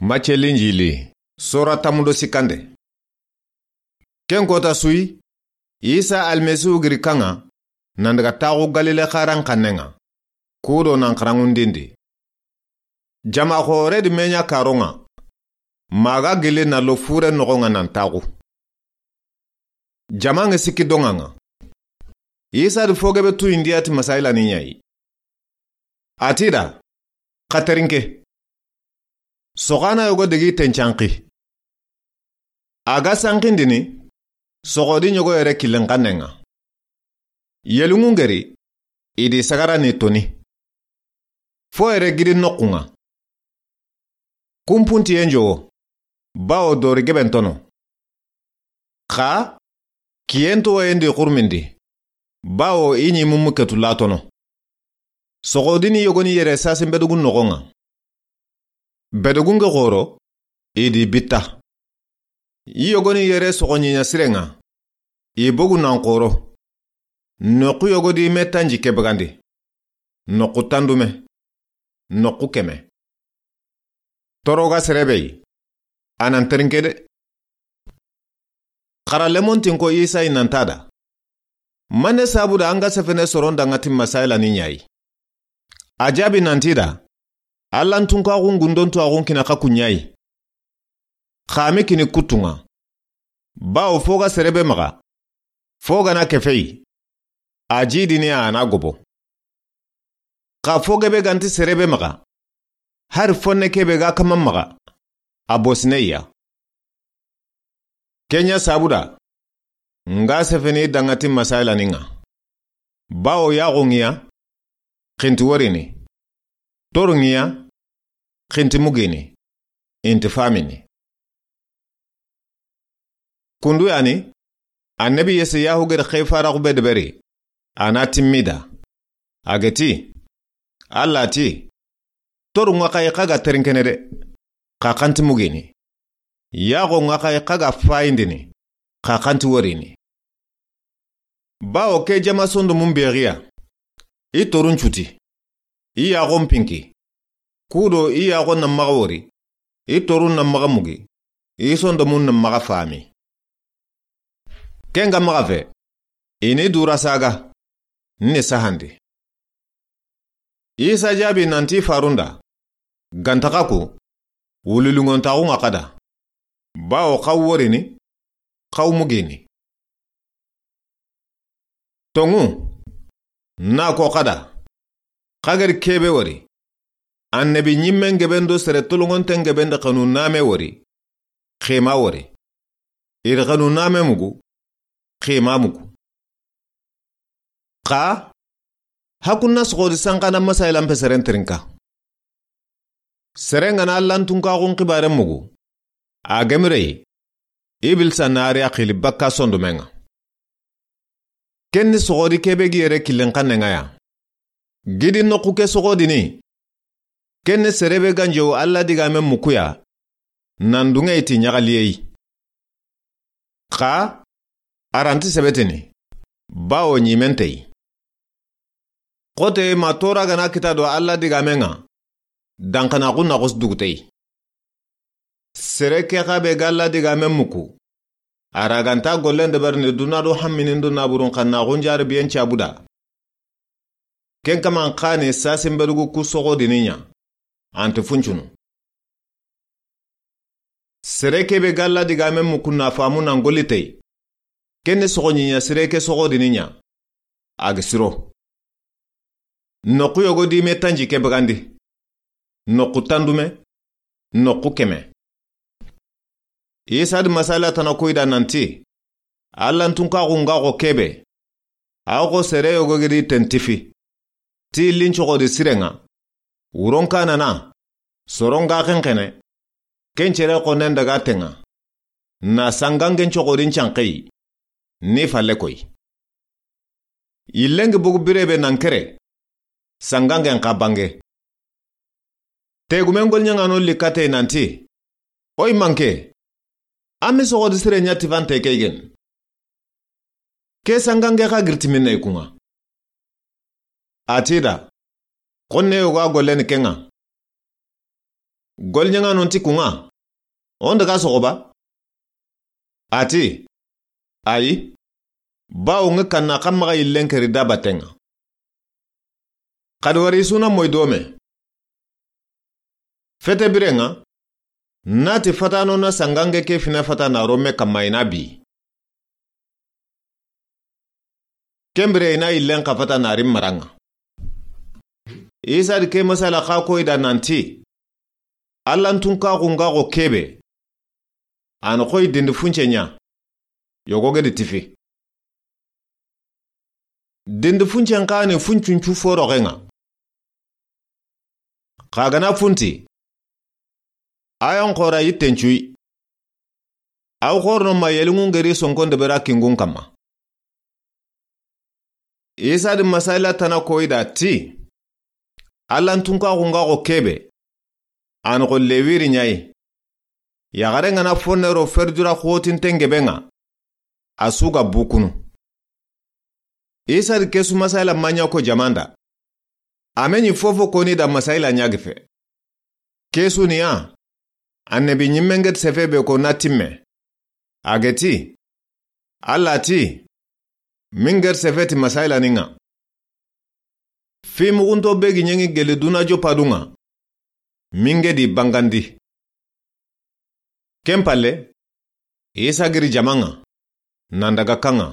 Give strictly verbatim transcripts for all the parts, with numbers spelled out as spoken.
Macce Linjili, sora tammu do sikkande. Ken kota su yi, Isa Almasihu giri kaŋa, nan daga taxu Galile xaran xannen ŋa, kudo nan xaraŋundindi. Jama xoore di me ɲa karon ŋa, ma ga gilli na lo fure noxon ŋa nan taxu. Jama ŋa sikki doŋa ŋa. Isa di fo gebe tu indiya ti masayila ni ɲa yi. A ti da, xa terinke. Soxana yogo degi tencanki. A ga sankindini, soxodi ɲogo yere killen xannen ŋa. Yeluŋu ŋeri, i di sagara ni toni. Fo yere gidi noxun ŋa. Kumpuntiyen jowo, bawo dori geben tono. Xa, kiyen towoyen di xurmindi, bawo i ɲi mumu ketu latono. Soxodini yogoni yere sasin bedugun noxon ŋa. Bedugun ge xoro, i di bitta. I yogoni yere soxoɲiɲa siren ŋa, i bogu nan xoro. Noxu yogodi me tanji ke bagandi. Noxu tandume. Noxu keme. Toro ga sere be yi, a nan terinke de. Xara lemontin ko Isa yi nan ta da. Mane sabu da an ga sefene soron daŋa ti masayila ni ɲa yi. A jaabi nan ti da. Allan tunkaxun gundon tuwaxun kina xa ku ɲa yi. Xa mi kini kutun ŋa. Bawo fo ga sere be maxa. Fo ga na kefe yi. A jidini a na gobo. Xa fo gebe ganti sere be maxa. Hari fonne kebe ga kaman maxa. A bosine ya. Ken ɲa sabu da. Nga sefeni daŋa ti masayila ni ŋa. Bawo yaxo ŋiya. Xinti worini. Toru ŋiya. Xinti mugini. Inti famini. Kundu yani, annabi Yesayahu gedi xefaraxu be deberi, a na timmida. A geti, Alla ti, toru ŋa xayi xa ga terinkene de, xa xanti mugini. Yaxo ŋa xayi xa ga fayindini, xa xanti worini. Bawo ke jama sondomun bexiya, i torun cuti, i yaxon pinki, kudo i yaxon na maxa wori, i torun na maxa mugi, i sondomun na maxa fami. Ken ga maxa fe, i ni dura saga, ni sahandi. Isa jaabi nanti farunda, ganta xa ku, wulilungontaxu ŋa xa da. Bawo xaw worini, xaw mugini. Toŋu, na ko xa da, xa gedi kebe wori. Annabi ɲimmen geben do sere tolongonten geben de xanu name wori. Xema wori. I di xanu name mugu. Xema mugu. Xa, hakunna soxodi sanxana masayila mpe seren terinka. Seren ga na Allan tunkaxun xibaren mugu. A gemire yi, Ibilisa na a ri a xili bakka sondomen ŋa. Ken ni soxodi kebe gi yere killen xannen ŋa ya. Gidi noxu ke soxodini. Ken ni sere be ganjewu Alla digamen muku ya. Nan duŋe yi ti ɲaxaliye yi. Xa, a ranti sebetini, bawo ɲimente yi. Xote ma tora ga na kita do Alla digamen ŋa, danxanaxu na xos dugute yi. Sere ke xa be ga Alla digamen muku, a ra ganta gollen deberini duna do hamminin do naburun xannaxun jarabiyen cabu da. Ken kaman xa ni sasin bedugu ku soxodini ɲa, anti funcunu. Sere kebe ga Alla digamen muku na famu nan golli tey. Ken ni soxoɲiɲa sere ke soxodini ɲa. A gi siro. Noxu yogo di me tanji ke bagandi. Noxu tandume. Noxu keme. Isa di masala tana koyda nanti, Allan tunkaxu nga xo kebe. Aw xo sere yogo gedi tentifi. Ti lincoxodi siren ŋa. Wuron kanana. Soron ga xenxene. Ken cere xonnen daga ten ŋa. Na sangangen coxodin canxeyi. Ni falle koy. Yillengi bogu birebe nan kere. Sangangen xa bange. Tegumen golɲaŋano likkate nanti, oy manke, a mi soxodi sire ɲa tifante keygen. Ke sangange xa girtiminne i kuŋa. A ti da, xonne yogo a golleni ke ŋa. Goliɲaŋanon ti kuŋa, o n daga soxo ba? A ti, ayi, bawo ŋa kanna xa maxa yillen keri da batten ŋa. Xadi wari i su na moyi do me. Fete biren ŋa, n na ti fatano na sangange ke fina fata na ro me kamma i na bi. Ken bire i na yillen xa fata na ri maran ŋa. Isa di ke masala xa koyi da nanti, Allan tunkaxu ŋa xo kebe, a na xoyi dindi funce ɲa, yogo ge di tifi. Dindi funcen xa ni funcuncu foroxen ŋa. Xa ga na funti, a yan xora yitten cuyi. Aw xorono ma yelinŋun geri sonkon debera kingun kamma. Isa di masayila tana koyi da ti, Allan tunkaxu ŋa xo kebe, a na xo lewiri ɲayi. Yaxare ŋa na fonne ro ferdura xotinten gebe ŋa, a su ga bukunu. Isa di ke su masayila ma ɲa ko jamanda. A me ɲi fofo koni da masayila ɲa gi fe. Ke su ni ya, annabi ɲimmen geti sefe be ko na timme. A geti, Alla ti, min geti sefe ti masayila ni ŋa. Fi muxunto be gi ɲeŋi geli duna joppa du ŋa, min ge di bangandi. Ken palle, Isa giri jama ŋa, nan daga kaŋa.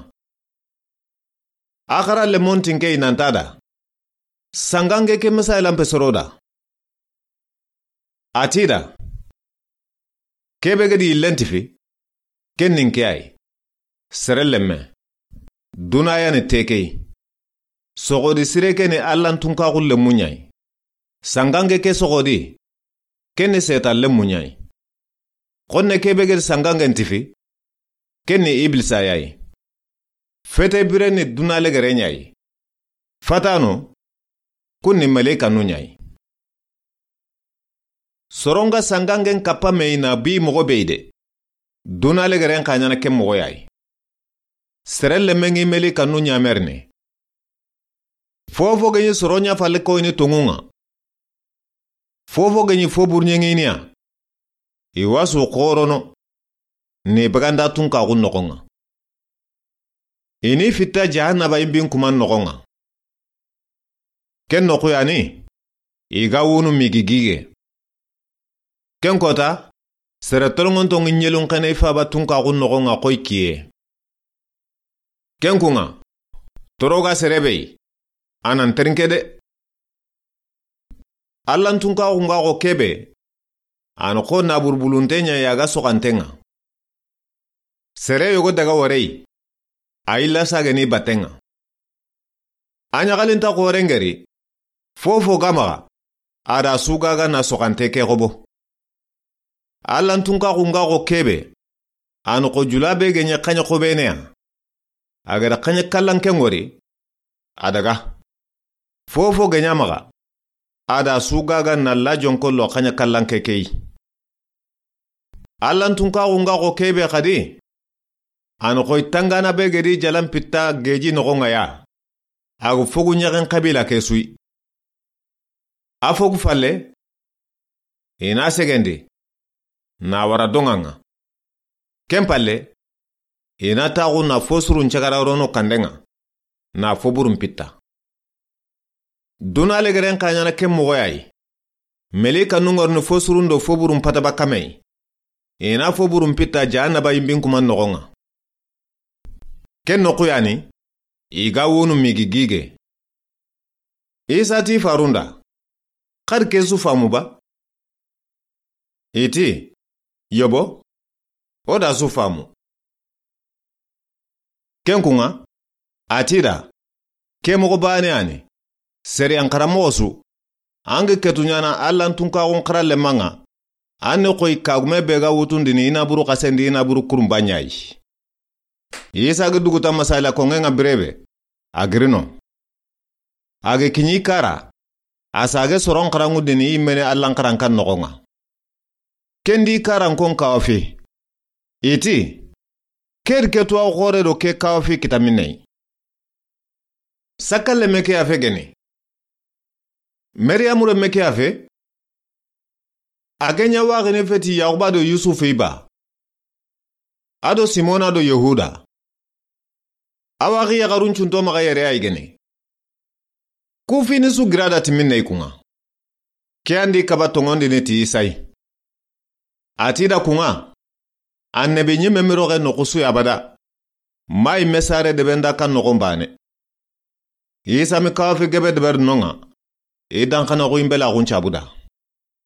Axara lemon tinke i nanta da, sangange ke masayila n pe soro da. A ti da, kebe ge di yillen tifi, ken nin ke ayi, sere lemme, duna ya ni tekey. Soxodi sire ke ni Allan tunkaxu lemmu ɲayi. Sangange ke soxodi, ken ni setan lemmu ɲayi. Xonne kebe ge di sangangen tifi, ken ni Iblisa yayi. Fete bire ni duna legere ɲayi. Fatano, kun ni meleikanu ɲayi. Soronga sangangen kappa me i na bi moxo be yi de, duna legeren xa ɲana ken moxo yayi. Sere lemme ŋi meleikanu ɲamerini. Fofo ge ɲi soro ɲa falle koyini toŋun ŋa, fofo ge ɲi fo burɲeŋiniya, i wa su xorono, ni baganda tunkaxu noxon ŋa. I ni fitta jahannaba i bin kuma noxon ŋa. Ken noxu ya ni, i ga wunu migi gige. Ken kota, sere tolongonto ŋi ɲelun xene i faba tunkaxu noxon ŋa xoy kiye. Ken kun ŋa, toroga sere be yi, a nan terinke de. Allan tunkaxu ŋa xo kebe, a na xo naburubulunte ɲa yaga soxanten ŋa. Sere yogo daga warey, a yilla sageni batten ŋa. A ɲaxalinta xoren geri, fofo ga maxa, a da su gaga na soxante ke xobo. Allan tunkaxu ŋa xo kebe, a na xo jula be ge ɲa xaɲa xobene ya. A ga da xaɲa kallanke ŋori, a daga. Fofo ge ɲa maxa, a da su gaga na lajonko lo xaɲa kallanke keyi. Allan tunkaxu ŋa xo kebe xadi, a na xoy tangana be ge di jalan pitta geji noxon ŋa ya. A ga fogu ɲaxen xabila ke suyi. A fogu falle, i na segendi, na wara doŋa ŋa. Ken palle, i na taxu na fo surun cagara rono kanden ŋa, na fo burun pitta. Duna legeren xa ɲana ken moxo yayi. Meleikanu ŋorni fo surun do fo burun pata bakka me yi. I na fo burun pitta jahannaba i bin kuma noxon ŋa. Ken noxu ya ni, i ga wunu migi gige. Isa ti farun da, xadi ke su famu ba? I ti, yobo, o da su famu. Ken kun ŋa, a ti da, ke moxo bane ya ni, sariyan xaranmoxo su, an ga ketu ɲana Allan tunkaxun xara lemma ŋa, an ni xoyi kagume be ga wutundini i naburu xasendi i naburu kurunba ɲayi. Isa ga duguta masayila koŋe ŋa birebe, a giri no. A ga kiɲi kara, a sage soron xaranŋundini i mene Allan xarankan noxon ŋa. Ken di karankon kawa fi. I ti, ke di ke tuwa xore do ke kawa fi kita minne yi. Sakkalle me ke ya fe geni. Mariyamu re me ke ya fe. A ke ɲa waxini feti Yaxuba do Yusufu i ba, a do Simona do Yehuda. A waxi yaxarun cunto maxa yere a yi gene. Ku fini su gira da timinne i kunŋa. Ke ya ndi kaba tonŋondini ti Isa yi. A ti da kunŋa, annabi ɲime mi roxe noxu su yi abada. Ma yi me sare debe nda kan noxon bane. Isa mi kawa fi gebe deberi nonŋa. I danxanaxu yi mbelaxun cabu da.